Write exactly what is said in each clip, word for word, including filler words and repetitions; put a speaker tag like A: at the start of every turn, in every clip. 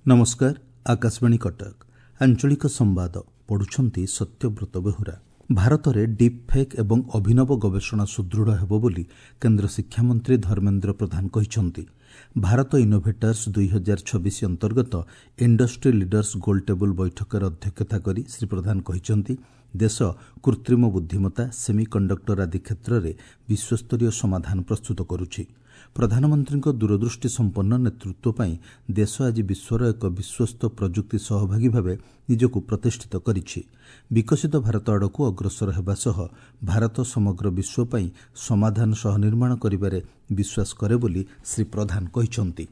A: ନମସ୍କାର, ଆକାଶବାଣୀ କଟକ। ଆଞ୍ଚଳିକ ସମ୍ବାଦ ପଢୁଛନ୍ତି ସତ୍ୟବ୍ରତ ବେହୁରା। ଭାରତରେ ଡିପ୍ ଫେକ୍ ଏବଂ ଅଭିନବ ଗବେଷଣା ସୁଦୃଢ଼ ହେବ ବୋଲି କେନ୍ଦ୍ର ଶିକ୍ଷାମନ୍ତ୍ରୀ ଧର୍ମେନ୍ଦ୍ର ପ୍ରଧାନ କହିଛନ୍ତି। ଭାରତ ଇନୋଭେଟର୍ସ ଦୁଇ ହଜାର ଛବିଶ ଅନ୍ତର୍ଗତ ଇଣ୍ଡଷ୍ଟ୍ରି ଲିଡର୍ସ ଗୋଲ୍ ଟେବୁଲ୍ ବୈଠକରେ ଅଧ୍ୟକ୍ଷତା କରି ଶ୍ରୀ ପ୍ରଧାନ କହିଛନ୍ତି, ଦେଶ କୃତ୍ରିମ ବୁଦ୍ଧିମତ୍ତା, ସେମି କଣ୍ଡକ୍ଟର ଆଦି କ୍ଷେତ୍ରରେ ବିଶ୍ୱସ୍ତରୀୟ ସମାଧାନ ପ୍ରସ୍ତୁତ କରୁଛି। ପ୍ରଧାନମନ୍ତ୍ରୀଙ୍କ ଦୂରଦୃଷ୍ଟି ସମ୍ପନ୍ନ ନେତୃତ୍ୱ ପାଇଁ ଦେଶ ଆଜି ବିଶ୍ୱର ଏକ ବିଶ୍ୱସ୍ତ ପ୍ରଯୁକ୍ତି ସହଭାଗୀ ଭାବେ ନିଜକୁ ପ୍ରତିଷ୍ଠିତ କରିଛି। ବିକଶିତ ଭାରତ ଆଡ଼କୁ ଅଗ୍ରସର ହେବା ସହ ଭାରତ ସମଗ୍ର ବିଶ୍ୱ ପାଇଁ ସମାଧାନ ସହନିର୍ମାଣ କରିବାରେ ବିଶ୍ୱାସ କରେ ବୋଲି ଶ୍ରୀ ପ୍ରଧାନ କହିଛନ୍ତି।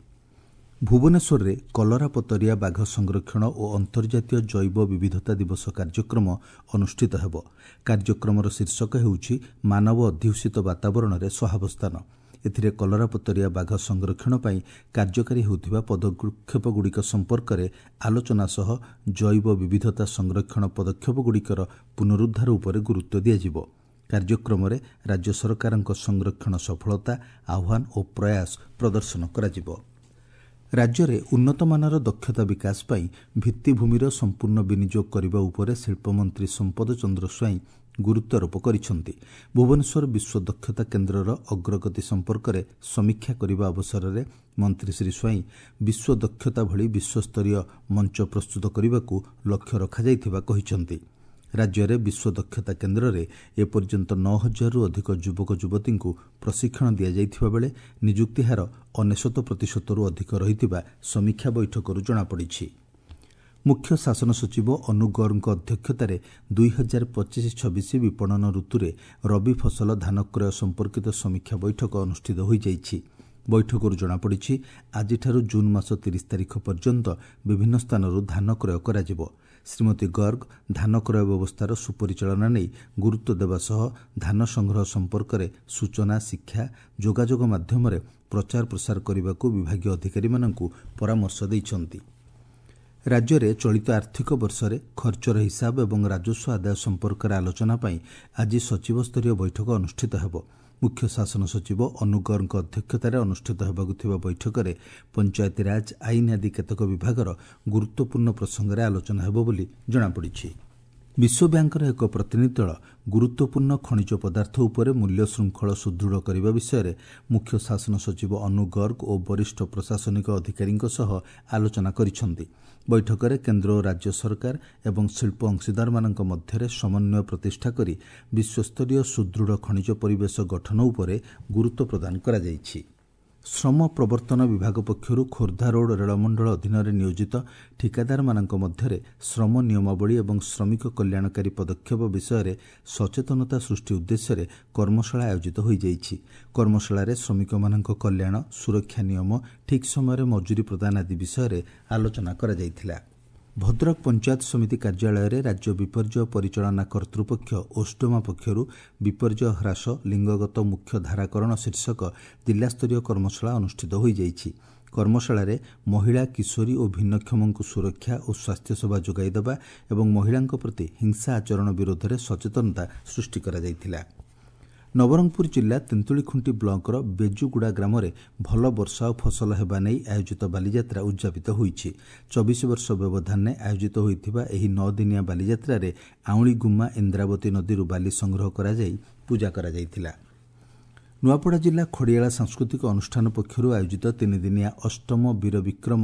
A: ଭୁବନେଶ୍ୱରରେ କଲରାପତରିଆ ବାଘ ସଂରକ୍ଷଣ ଓ ଅନ୍ତର୍ଜାତୀୟ ଜୈବ ବିବିଧତା ଦିବସ କାର୍ଯ୍ୟକ୍ରମ ଅନୁଷ୍ଠିତ ହେବ। କାର୍ଯ୍ୟକ୍ରମର ଶୀର୍ଷକ ହେଉଛି ମାନବ ଅଧ୍ୟୁଷିତ ବାତାବରଣରେ ସହାବସ୍ଥାନ। ଏଥିରେ କଲରାପତରିଆ ବାଘ ସଂରକ୍ଷଣ ପାଇଁ କାର୍ଯ୍ୟକାରୀ ହେଉଥିବା ପଦକ୍ଷେପଗୁଡ଼ିକ ସମ୍ପର୍କରେ ଆଲୋଚନା ସହ ଜୈବ ବିବିଧତା ସଂରକ୍ଷଣ ପଦକ୍ଷେପଗୁଡ଼ିକର ପୁନରୁଦ୍ଧାର ଉପରେ ଗୁରୁତ୍ୱ ଦିଆଯିବ। କାର୍ଯ୍ୟକ୍ରମରେ ରାଜ୍ୟ ସରକାରଙ୍କ ସଂରକ୍ଷଣ ସଫଳତା, ଆହ୍ୱାନ ଓ ପ୍ରୟାସ ପ୍ରଦର୍ଶନ କରାଯିବ। ରାଜ୍ୟରେ ଉନ୍ନତମାନର ଦକ୍ଷତା ବିକାଶ ପାଇଁ ଭିତ୍ତିଭୂମିର ସମ୍ପୂର୍ଣ୍ଣ ବିନିଯୋଗ କରିବା ଉପରେ ଶିଳ୍ପମନ୍ତ୍ରୀ ସମ୍ପଦ ଚନ୍ଦ୍ର ସ୍ୱାଇଁ ଗୁରୁତ୍ୱାରୋପ କରିଛନ୍ତି। ଭୁବନେଶ୍ୱର ବିଶ୍ୱ ଦକ୍ଷତା କେନ୍ଦ୍ରର ଅଗ୍ରଗତି ସମ୍ପର୍କରେ ସମୀକ୍ଷା କରିବା ଅବସରରେ ମନ୍ତ୍ରୀ ଶ୍ରୀ ସ୍ୱାଇଁ ବିଶ୍ୱ ଦକ୍ଷତା ଭଳି ବିଶ୍ୱସ୍ତରୀୟ ମଞ୍ଚ ପ୍ରସ୍ତୁତ କରିବାକୁ ଲକ୍ଷ୍ୟ ରଖାଯାଇଥିବା କହିଛନ୍ତି। ରାଜ୍ୟରେ ବିଶ୍ୱ ଦକ୍ଷତା କେନ୍ଦ୍ରରେ ଏପର୍ଯ୍ୟନ୍ତ ନଅ ହଜାରରୁ ଅଧିକ ଯୁବକ ଯୁବତୀଙ୍କୁ ପ୍ରଶିକ୍ଷଣ ଦିଆଯାଇଥିବା ବେଳେ ନିଯୁକ୍ତି ହାର ଅନେଶତ ପ୍ରତିଶତରୁ ଅଧିକ ରହିଥିବା ସମୀକ୍ଷା ବୈଠକରୁ ଜଣାପଡ଼ିଛି। ମୁଖ୍ୟ ଶାସନ ସଚିବ ଅନୁ ଗର୍ଗଙ୍କ ଅଧ୍ୟକ୍ଷତାରେ ଦୁଇ ହଜାର ପଚିଶ ଛବିଶ ବିପଣନ ଋତୁରେ ରବି ଫସଲ ଧାନ କ୍ରୟ ସମ୍ପର୍କିତ ସମୀକ୍ଷା ବୈଠକ ଅନୁଷ୍ଠିତ ହୋଇଯାଇଛି। ବୈଠକରୁ ଜଣାପଡ଼ିଛି, ଆଜିଠାରୁ ଜୁନ୍ ମାସ ତିରିଶ ତାରିଖ ପର୍ଯ୍ୟନ୍ତ ବିଭିନ୍ନ ସ୍ଥାନରୁ ଧାନ କ୍ରୟ କରାଯିବ। ଶ୍ରୀମତୀ ଗର୍ଗ ଧାନ କ୍ରୟ ବ୍ୟବସ୍ଥାର ସୁପରିଚାଳନା ନେଇ ଗୁରୁତ୍ୱ ଦେବା ସହ ଧାନ ସଂଗ୍ରହ ସମ୍ପର୍କରେ ସୂଚନା, ଶିକ୍ଷା, ଯୋଗାଯୋଗ ମାଧ୍ୟମରେ ପ୍ରଚାର ପ୍ରସାର କରିବାକୁ ବିଭାଗୀୟ ଅଧିକାରୀମାନଙ୍କୁ ପରାମର୍ଶ ଦେଇଛନ୍ତି। ରାଜ୍ୟରେ ଚଳିତ ଆର୍ଥିକ ବର୍ଷରେ ଖର୍ଚ୍ଚର ହିସାବ ଏବଂ ରାଜସ୍ୱ ଆଦାୟ ସମ୍ପର୍କରେ ଆଲୋଚନା ପାଇଁ ଆଜି ସଚିବସ୍ତରୀୟ ବୈଠକ ଅନୁଷ୍ଠିତ ହେବ। ମୁଖ୍ୟ ଶାସନ ସଚିବ ଅନୁ ଗର୍ଗଙ୍କ ଅଧ୍ୟକ୍ଷତାରେ ଅନୁଷ୍ଠିତ ହେବାକୁ ଥିବା ବୈଠକରେ ପଞ୍ଚାୟତିରାଜ, ଆଇନ ଆଦି କେତେକ ବିଭାଗର ଗୁରୁତ୍ୱପୂର୍ଣ୍ଣ ପ୍ରସଙ୍ଗରେ ଆଲୋଚନା ହେବ ବୋଲି ଜଣାପଡ଼ିଛି। ବିଶ୍ୱ ବ୍ୟାଙ୍କର ଏକ ପ୍ରତିନିଧି ଦଳ ଗୁରୁତ୍ୱପୂର୍ଣ୍ଣ ଖଣିଜ ପଦାର୍ଥ ଉପରେ ମୂଲ୍ୟ ଶୃଙ୍ଖଳ ସୁଦୃଢ଼ କରିବା ବିଷୟରେ ମୁଖ୍ୟ ଶାସନ ସଚିବ ଅନୁ ଗର୍ଗ ଓ ବରିଷ୍ଠ ପ୍ରଶାସନିକ ଅଧିକାରୀଙ୍କ ସହ ଆଲୋଚନା କରିଛନ୍ତି। ବୈଠକରେ କେନ୍ଦ୍ର ଓ ରାଜ୍ୟ ସରକାର ଏବଂ ଶିଳ୍ପ ଅଂଶୀଦାରମାନଙ୍କ ମଧ୍ୟରେ ସମନ୍ୱୟ ପ୍ରତିଷ୍ଠା କରି ବିଶ୍ୱସ୍ତରୀୟ ସୁଦୃଢ଼ ଖଣିଜ ପରିବେଶ ଗଠନ ଉପରେ ଗୁରୁତ୍ୱ ପ୍ରଦାନ କରାଯାଇଛି। ଶ୍ରମ ପ୍ରବର୍ତ୍ତନ ବିଭାଗ ପକ୍ଷରୁ ଖୋର୍ଦ୍ଧା ରୋଡ୍ ରେଳମଣ୍ଡଳ ଅଧୀନରେ ନିୟୋଜିତ ଠିକାଦାରମାନଙ୍କ ମଧ୍ୟରେ ଶ୍ରମ ନିୟମାବଳୀ ଏବଂ ଶ୍ରମିକ କଲ୍ୟାଣକାରୀ ପଦକ୍ଷେପ ବିଷୟରେ ସଚେତନତା ସୃଷ୍ଟି ଉଦ୍ଦେଶ୍ୟରେ କର୍ମଶାଳା ଆୟୋଜିତ ହୋଇଯାଇଛି। କର୍ମଶାଳାରେ ଶ୍ରମିକମାନଙ୍କ କଲ୍ୟାଣ, ସୁରକ୍ଷା ନିୟମ, ଠିକ୍ ସମୟରେ ମଜୁରୀ ପ୍ରଦାନ ଆଦି ବିଷୟରେ ଆଲୋଚନା କରାଯାଇଥିଲା। ଭଦ୍ରକ ପଞ୍ଚାୟତ ସମିତି କାର୍ଯ୍ୟାଳୟରେ ରାଜ୍ୟ ବିପର୍ଯ୍ୟୟ ପରିଚାଳନା କର୍ତ୍ତୃପକ୍ଷ ଓସ୍ଡୋମା ପକ୍ଷରୁ ବିପର୍ଯ୍ୟୟ ହ୍ରାସ ଲିଙ୍ଗଗତ ମୁଖ୍ୟ ଧାରାକରଣ ଶୀର୍ଷକ ଜିଲ୍ଲାସ୍ତରୀୟ କର୍ମଶାଳା ଅନୁଷ୍ଠିତ ହୋଇଯାଇଛି। କର୍ମଶାଳାରେ ମହିଳା, କିଶୋରୀ ଓ ଭିନ୍ନକ୍ଷମଙ୍କୁ ସୁରକ୍ଷା ଓ ସ୍ୱାସ୍ଥ୍ୟସେବା ଯୋଗାଇ ଦେବା ଏବଂ ମହିଳାଙ୍କ ପ୍ରତି ହିଂସା ଆଚରଣ ବିରୋଧରେ ସଚେତନତା ସୃଷ୍ଟି କରାଯାଇଥିଲା। ନବରଙ୍ଗପୁର ଜିଲ୍ଲା ତେନ୍ତୁଳିଖୁଣ୍ଟି ବ୍ଲକର ବେଜୁଗୁଡ଼ା ଗ୍ରାମରେ ଭଲ ବର୍ଷା ଓ ଫସଲ ହେବା ନେଇ ଆୟୋଜିତ ବାଲିଯାତ୍ରା ଉଦ୍ଯାପିତ ହୋଇଛି। ଚବିଶ ବର୍ଷ ବ୍ୟବଧାନରେ ଆୟୋଜିତ ହୋଇଥିବା ଏହି ନଅ ଦିନିଆ ବାଲିଯାତ୍ରାରେ ଆଉଁଳିଗୁମ୍ମା ଇନ୍ଦ୍ରାବତୀ ନଦୀରୁ ବାଲି ସଂଗ୍ରହ କରାଯାଇ ପୂଜା କରାଯାଇଥିଲା। ନୂଆପଡ଼ା ଜିଲ୍ଲା ଖଡ଼ିଆଳ ସାଂସ୍କୃତିକ ଅନୁଷ୍ଠାନ ପକ୍ଷରୁ ଆୟୋଜିତ ତିନିଦିନିଆ ଅଷ୍ଟମ ବୀର ବିକ୍ରମ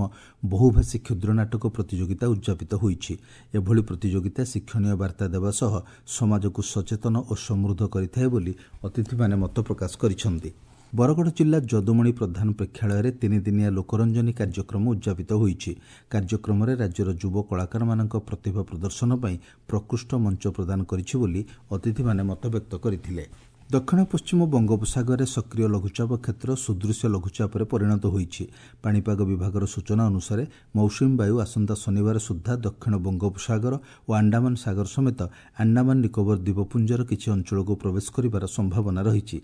A: ବହୁଭାଷୀ କ୍ଷୁଦ୍ର ନାଟକ ପ୍ରତିଯୋଗିତା ଉଦ୍ଯାପିତ ହୋଇଛି। ଏଭଳି ପ୍ରତିଯୋଗିତା ଶିକ୍ଷଣୀୟ ବାର୍ତ୍ତା ଦେବା ସହ ସମାଜକୁ ସଚେତନ ଓ ସମୃଦ୍ଧ କରିଥାଏ ବୋଲି ଅତିଥିମାନେ ମତ ପ୍ରକାଶ କରିଛନ୍ତି। ବରଗଡ଼ ଜିଲ୍ଲା ଯଦୁମଣି ପ୍ରଧାନ ପ୍ରେକ୍ଷାଳୟରେ ତିନିଦିନିଆ ଲୋକରଞ୍ଜନୀ କାର୍ଯ୍ୟକ୍ରମ ଉଦ୍ଯାପିତ ହୋଇଛି। କାର୍ଯ୍ୟକ୍ରମରେ ରାଜ୍ୟର ଯୁବ କଳାକାରମାନଙ୍କ ପ୍ରତିଭା ପ୍ରଦର୍ଶନ ପାଇଁ ପ୍ରକୃଷ୍ଟ ମଞ୍ଚ ପ୍ରଦାନ କରିଛି ବୋଲି ଅତିଥିମାନେ ମତବ୍ୟକ୍ତ କରିଥିଲେ। ଦକ୍ଷିଣ ପଶ୍ଚିମ ବଙ୍ଗୋପସାଗରରେ ସକ୍ରିୟ ଲଘୁଚାପ କ୍ଷେତ୍ର ସୁଦୃଶ୍ୟ ଲଘୁଚାପରେ ପରିଣତ ହୋଇଛି। ପାଣିପାଗ ବିଭାଗର ସୂଚନା ଅନୁସାରେ ମୌସୁମୀ ବାୟୁ ଆସନ୍ତା ଶନିବାର ସୁଦ୍ଧା ଦକ୍ଷିଣ ବଙ୍ଗୋପସାଗର ଓ ଆଣ୍ଡାମାନ ସାଗର ସମେତ ଆଣ୍ଡାମାନ ନିକୋବର ଦ୍ୱୀପପୁଞ୍ଜର କିଛି ଅଞ୍ଚଳକୁ ପ୍ରବେଶ କରିବାର ସମ୍ଭାବନା ରହିଛି।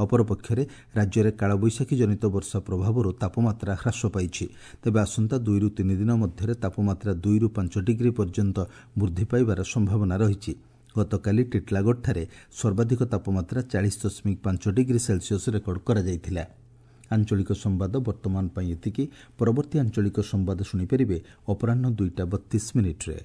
A: ଅପରପକ୍ଷରେ ରାଜ୍ୟରେ କାଳବୈଶାଖୀ ଜନିତ ବର୍ଷା ପ୍ରଭାବରୁ ତାପମାତ୍ରା ହ୍ରାସ ପାଇଛି। ତେବେ ଆସନ୍ତା ଦୁଇରୁ ତିନି ଦିନ ମଧ୍ୟରେ ତାପମାତ୍ରା ଦୁଇରୁ ପାଞ୍ଚ ଡିଗ୍ରୀ ପର୍ଯ୍ୟନ୍ତ ବୃଦ୍ଧି ପାଇବାର ସମ୍ଭାବନା ରହିଛି। ଗତକାଲି ଟିଟିଲାଗଡ଼ଠାରେ ସର୍ବାଧିକ ତାପମାତ୍ରା ଚାଳିଶ ଦଶମିକ ପାଞ୍ଚ ଡିଗ୍ରୀ ସେଲସିୟସ୍ ରେକର୍ଡ କରାଯାଇଥିଲା। ଆଞ୍ଚଳିକ ସମ୍ବାଦ ବର୍ତ୍ତମାନ ପାଇଁ ଏତିକି। ପରବର୍ତ୍ତୀ ଆଞ୍ଚଳିକ ସମ୍ବାଦ ଶୁଣିପାରିବେ ଅପରାହ୍ନ ଦୁଇଟା ବତିଶ ମିନିଟ୍ରେ।